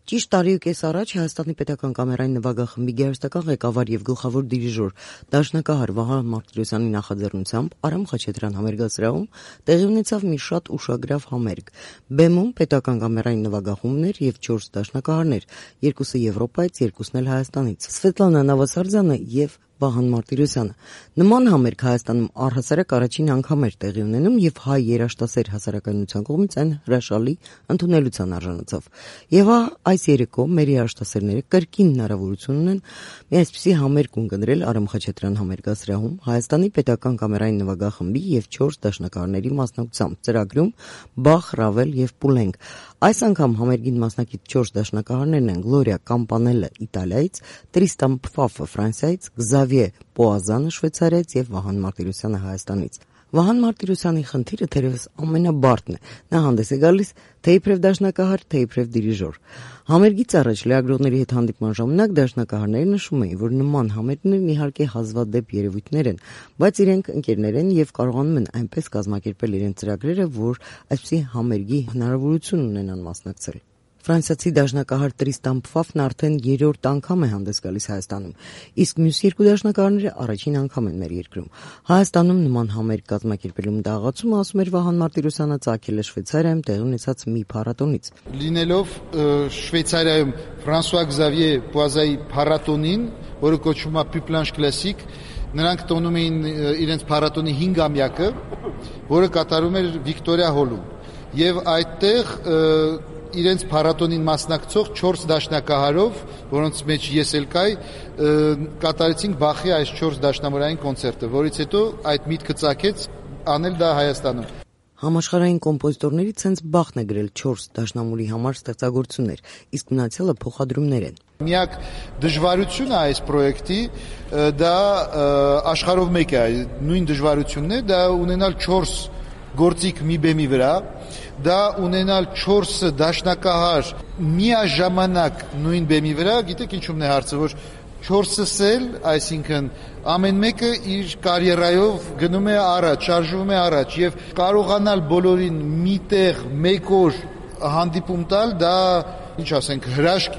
Ճիշտ տարի ու կես առաջ Հայաստանի պետական կամերային նվագախմբի գեղարվեստական ղեկավար եւ գլխավոր դիրիժոր դաշնակահար Վահան Մարտիրոսյանի նախաձեռնությամբ Արամ Խաչատրյան համերգասրահում տեղի ունեցավ մի շատ ուշագրավ համերգ։ Բեմում պետական կամերային նվագախումբներ եւ 4 դաշնակահարներ, երկուսը Եվրոպայից, երկուսն էլ Հայաստանից։ Սվետլանա Նավասարդյանը եւ Վահան Մարտիրոսյանը։ Նման համերգ Հայաստանում առհասարակ առաջին անգամ էր տեղի ունենում եւ հայ երաժշտասեր հասարակայնության կողմից այն հրաշալի ընդունելության արժանացավ։ Եվ այս երեկո մեր երաժշտասերները կրկին հնարավորություն ունեն մի այսպիսի համերգ ունկնդրել Արամ Խաչատրյան համերգասրահում Հայաստանի պետական կամերային նվագախմբի եւ 4 դաշնակահարների մասնակցությամբ ծրագրում Բախ, Ռավել եւ Պուլենկ։ Այս անգամ համերգին մասնակից 4 դաշնակահարներն են Գլորիա Կամպանելը Իտալիայից, Տրիստան Փֆաֆը Ֆրանսիայից, Զավիե Պոազանը Շվեյցարիայից եւ Վահան Մարտիրոսյանը Հայաստանից։ Վահան Մարտիրոսյանի խնդիրը թերևս ամենաբարդն է։ Նա հանդես է գալիս թե իբրև դաշնակահար, թե իբրև դիրիժոր։ Համերգից առաջ լրագրողների հետ հանդիպման ժամանակ դաշնակահարները նշում էին, որ նման համերգներն իհարկե հազվադեպ երևույթներ են, բայց իրենք ընկերներ են եւ կարողանում են այնպես կազմակերպել իրենց ծրագրերը, որ այսպիսի համերգի հնարավորություն ունենան մասնակցել։ Ֆրանսիացի դաշնակահար Տրիստան Փֆաֆն արդեն 3-րդ անգամ է հանդես գալիս Հայաստանում, իսկ մյուս 2 դաշնակահարները առաջին անգամ են մեր երկրում։ Հայաստանում նման համերգ կազմակերպելու մտահղացումը, ասում էր Վահան Մարտիրոսյանը, ծագել է Շվեյցարիայում տեղի ունեցած մի փառատոնից։ Լինելով Շվեյցարիայում Ֆրանսուଆ Զավիե Պոազայի փառատոնին, որը կոչվում է Պյուպլանշ Կլասիկ, նրանք տոնում էին իրենց փառատոնի 5-ամյակը, որը կատարում էր Վիկտորիա հոլում։ Եվ այդտեղ իրենց փառատոնին մասնակցող 4 դաշնակահարով, որոնց մեջ ես էլ կայի, կատարեցինք Բախի այս 4 դաշնամուրային կոնցերտը, որից հետո այդ միտքը ծագեց անել դա Հայաստանում։ Համաշխարհային կոմպոզիտորներից հենց Բախն է գրել 4 դաշնամուրի համար ստեղծագործություններ, իսկ մնացյալը փոխադրումներ են։ Միակ դժվարությունը այս պրոյեկտի դա աշխարհով մեկ է, նույն դժվարությունն է, դա ունենալ 4 գործիք մի բեմի վրա, դա ունենալ 4 դաշնակահար միաժամանակ նույն բեմի վրա, գիտեք ինչու՞մն է հարցը, որ 4-ս էլ, այսինքն ամեն մեկը իր կարիերայով գնում է առաջ, շարժվում է առաջ եւ կարողանալ բոլորին միտեղ մեկ օր հանդիպում տալ, դա ինչ ասենք, հրաշք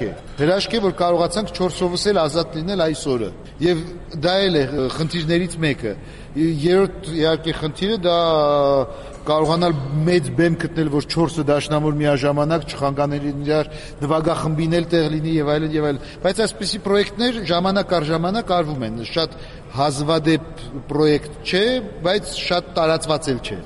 է, որ կարողացանք 4-ովս էլ ազատ լինել այս օրը։ Եվ դա էլ է խնդիրներից մեկը։ Երրորդ իհարկե խնդիրը դա կարողանալ մեծ բեմ գտնել, որ 4 դաշնամուր միաժամանակ չխանգարեն իրար, նվագախմբին էլ տեղ լինի եւ այլն եւ այլն։ Բայց այսպիսի պրոյեկտներ ժամանակ առ ժամանակ արվում են։ Շատ հազվադեպ պրոյեկտ չէ, բայց շատ տարածված էլ չէ։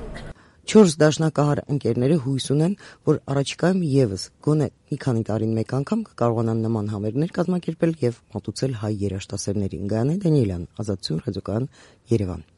4 դաշնակահար ընկերները հույս ունեն, որ առաջիկայում եւս գոնե մի քանի տարին մեկ անգամ կկարողանան նման համերգներ կազմակերպել եւ մատուցել հայ երաժշտասերներին։ Գայանե Դանիելյան, Ազատություն ռադիոկայան, Երևան։